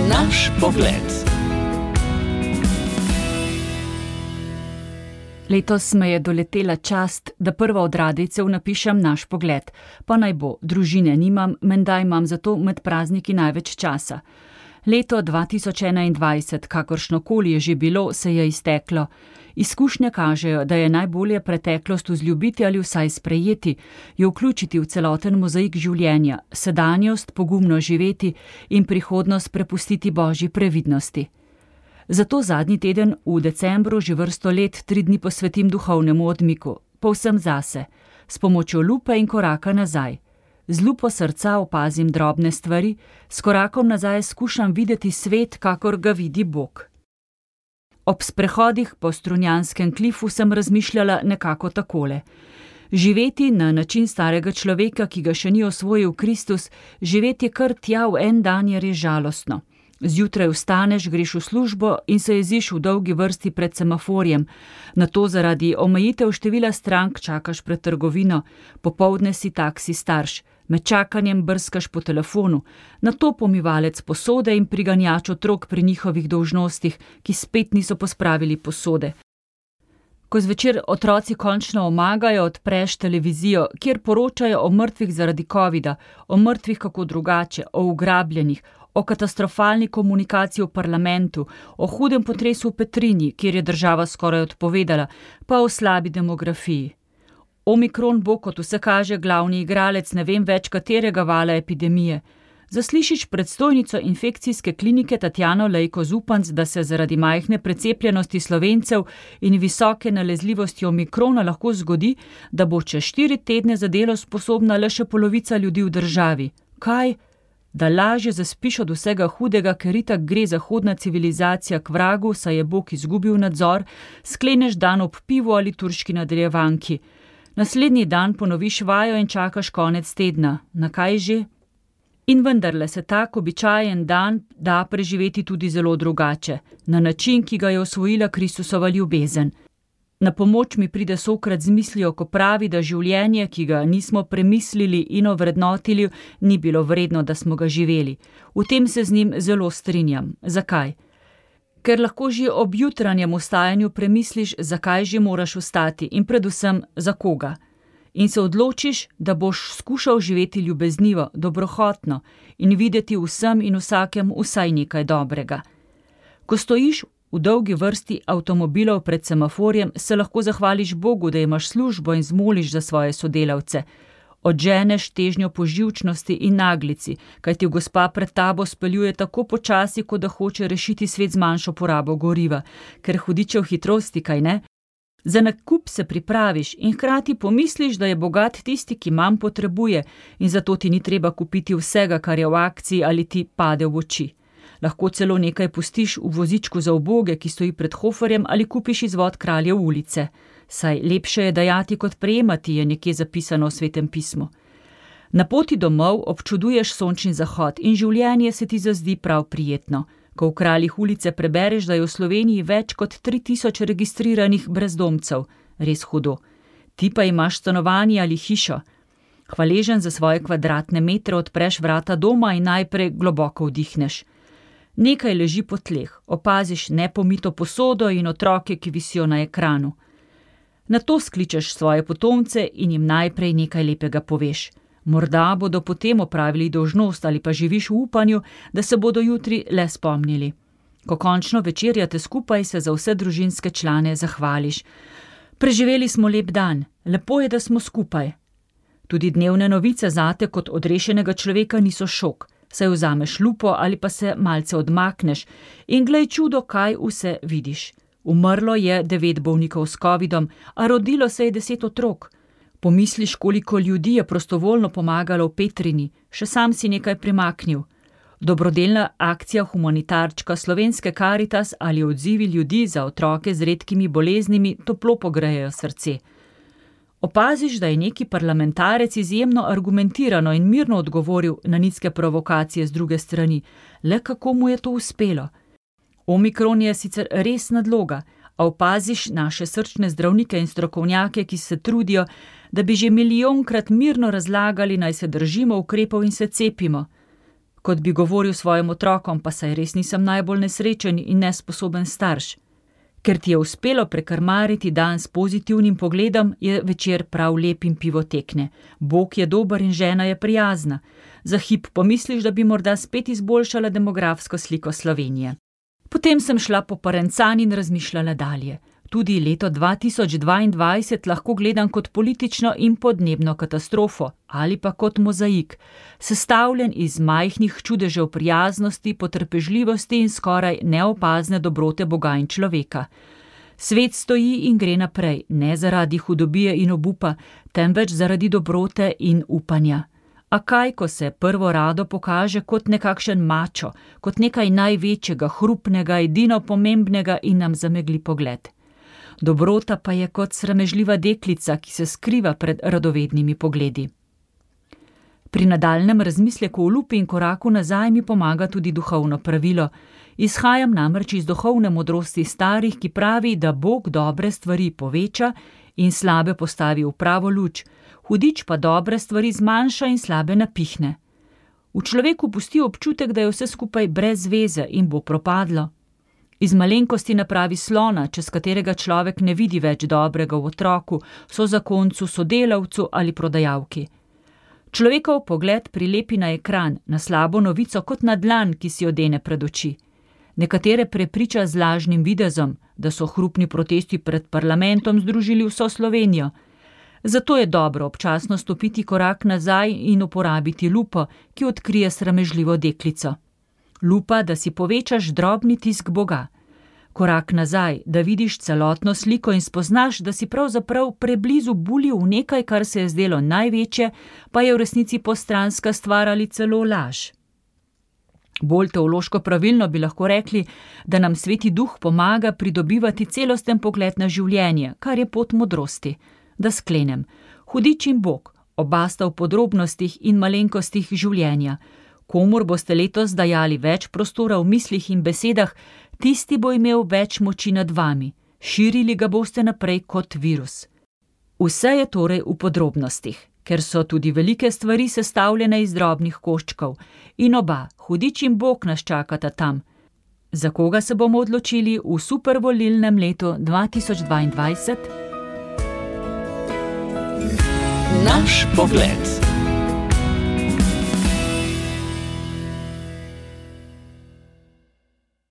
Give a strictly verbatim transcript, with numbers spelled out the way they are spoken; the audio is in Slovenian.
Naš pogled. Letos me je doletela čast, da prva od radijcev napišem Naš pogled. Pa naj bo, družine nimam, menda imam zato med prazniki največ časa. Leto dva tisoč enaindvajset, kakršnokoli je že bilo, se je izteklo. Izkušnje kažejo, da je najbolje preteklost vzljubiti ali vsaj sprejeti, jo vključiti v celoten mozaik življenja, sedanjost pogumno živeti in prihodnost prepustiti Božji previdnosti. Zato zadnji teden v decembru že vrsto let tri dni posvetim duhovnemu odmiku, povsem zase, s pomočjo lupe in koraka nazaj. Z lupo srca opazim drobne stvari, s korakom nazaj skušam videti svet, kakor ga vidi Bog. Ob sprehodih po Strunjanskem klifu sem razmišljala nekako takole. Živeti na način starega človeka, ki ga še ni osvojil Kristus, živeti kar tja v en dan je res žalostno. Zjutraj vstaneš, greš v službo in se jeziš v dolgi vrsti pred semaforjem. Nato zaradi omejitev števila strank čakaš pred trgovino, popoldne si taksi starš, med čakanjem brskaš po telefonu, nato pomivalec posode in priganjač otrok pri njihovih dolžnostih, ki spet niso pospravili posode. Ko zvečer otroci končno omagajo, odpreš televizijo, kjer poročajo o mrtvih zaradi covida, o mrtvih kako drugače, o ugrabljenih, o katastrofalni komunikaciji v parlamentu, o hudem potresu v Petrinji, kjer je država skoraj odpovedala, pa o slabi demografiji. Omikron bo, kot vse kaže, glavni igralec ne vem več katerega vala epidemije. Zaslišiš predstojnico infekcijske klinike Tatjano Lejko Zupanc, da se zaradi majhne precepljenosti Slovencev in visoke nalezljivosti omikrona lahko zgodi, da bo čez štiri tedne za delo sposobna le še polovica ljudi v državi. Kaj? Da lažje zaspiš od vsega hudega, ker itak gre zahodna civilizacija k vragu, saj je Bog izgubil nadzor, skleneš dan ob pivu ali turški nadaljevanki. Naslednji dan ponoviš vajo in čakaš konec tedna. Na kaj že? In vendarle se tak običajen dan da preživeti tudi zelo drugače, na način, ki ga je osvojila Kristusova ljubezen. Na pomoč mi pride Sokrat z mislijo, ko pravi, da življenje, ki ga nismo premislili in ovrednotili, ni bilo vredno, da smo ga živeli. V tem se z njim zelo strinjam. Zakaj? Ker lahko že ob jutranjem vstajanju premisliš, zakaj že moraš vstati in predvsem za koga. In se odločiš, da boš skušal živeti ljubeznivo, dobrohotno in videti vsem in vsakem vsaj nekaj dobrega. Ko stojiš v dolgi vrsti avtomobilov pred semaforjem, se lahko zahvališ Bogu, da imaš službo in zmoliš za svoje sodelavce. Odženeš težnjo po živčnosti in naglici, kajti gospa pred tabo speljuje tako počasi, kot da hoče rešiti svet z manjšo porabo goriva, ker hudičev hitrosti, kaj ne? Za nakup se pripraviš in hkrati pomisliš, da je bogat tisti, ki manj potrebuje in zato ti ni treba kupiti vsega, kar je v akciji ali ti pade v oči. Lahko celo nekaj pustiš v vozičku za uboge, ki stoji pred Hoferjem, ali kupiš izvod Kraljev ulice. Saj lepše je dajati kot prejemati, je nekje zapisano v Svetem pismu. Na poti domov občuduješ sončni zahod in življenje se ti zazdi prav prijetno. Ko v Kraljih ulice prebereš, da je v Sloveniji več kot tri tisoč registriranih brezdomcev. Res hudo. Ti pa imaš stanovanje ali hišo. Hvaležen za svoje kvadratne metre odpreš vrata doma in najprej globoko vdihneš. Nekaj leži po tleh, opaziš nepomito posodo in otroke, ki visijo na ekranu. Nato skličeš svoje potomce in jim najprej nekaj lepega poveš. Morda bodo potem opravili dolžnost ali pa živiš v upanju, da se bodo jutri le spomnili. Ko končno večerjate skupaj, se za vse družinske člane zahvališ. Preživeli smo lep dan, lepo je, da smo skupaj. Tudi dnevne novice zate kot odrešenega človeka niso šok. Saj vzameš lupo ali pa se malce odmakneš in glej čudo, kaj vse vidiš. Umrlo je devet bolnikov s covidom, a rodilo se je deset otrok. Pomisliš, koliko ljudi je prostovoljno pomagalo v Petrini, še sam si nekaj primaknil. Dobrodelna akcija humanitarčka Slovenske Karitas ali odzivi ljudi za otroke z redkimi boleznimi toplo pogrejejo srce. Opaziš, da je neki parlamentarec izjemno argumentirano in mirno odgovoril na nizke provokacije z druge strani. Le kako mu je to uspelo? Omikron je sicer res nadloga, a opaziš naše srčne zdravnike in strokovnjake, ki se trudijo, da bi že milijonkrat mirno razlagali, naj se držimo ukrepov in se cepimo. Kot bi govoril svojim otrokom, pa saj res nisem najbolj nesrečen in nesposoben starš. Ker ti je uspelo prekrmariti dan s pozitivnim pogledom, je večer prav lep in pivo tekne. Bog je dober in žena je prijazna. Za hip pomisliš, da bi morda spet izboljšala demografsko sliko Slovenije. Potem sem šla po Parencan in razmišljala dalje. Tudi leto dva tisoč dvaindvajset lahko gledam kot politično in podnebno katastrofo ali pa kot mozaik, sestavljen iz majhnih čudežev prijaznosti, potrpežljivosti in skoraj neopazne dobrote Boga in človeka. Svet stoji in gre naprej, ne zaradi hudobije in obupa, temveč zaradi dobrote in upanja. A kaj, ko se prvo rado pokaže kot nekakšen mačo, kot nekaj največjega, hrupnega, edino pomembnega in nam zamegli pogled. Dobrota pa je kot sramežljiva deklica, ki se skriva pred radovednimi pogledi. Pri nadaljnjem razmisleku o lupi in koraku nazaj mi pomaga tudi duhovno pravilo. Izhajam namreč iz duhovne modrosti starih, ki pravi, da Bog dobre stvari poveča in slabe postavi v pravo luč, hudič pa dobre stvari zmanjša in slabe napihne. V človeku pusti občutek, da je vse skupaj brez veze in bo propadlo. Iz malenkosti napravi slona, čez katerega človek ne vidi več dobrega v otroku, sozakoncu, sodelavcu ali prodajalki. Človekov pogled prilepi na ekran, na slabo novico kot na dlan, ki si odene pred oči. Nekatere prepriča z lažnim videzom, da so hrupni protesti pred parlamentom združili vso Slovenijo. Zato je dobro občasno stopiti korak nazaj in uporabiti lupo, ki odkrije sramežljivo deklico. Lupa, da si povečaš drobni tisk Boga. Korak nazaj, da vidiš celotno sliko in spoznaš, da si pravzaprav preblizu bulil v nekaj, kar se je zdelo največje, pa je v resnici postranska stvar ali celo laž. Bolj teološko pravilno bi lahko rekli, da nam Sveti Duh pomaga pridobivati celosten pogled na življenje, kar je pot modrosti. Da sklenem, hudič in Bog, oba sta v podrobnostih in malenkostih življenja. Komur boste letos dajali več prostora v mislih in besedah, tisti bo imel več moči nad vami, širili ga boste naprej kot virus. Vse je torej v podrobnostih, ker so tudi velike stvari sestavljene iz drobnih koščkov in oba, hudič in Bog, nas čakata tam. Za koga se bomo odločili v supervolilnem letu dva tisoč dvaindvajset? Naš pogled.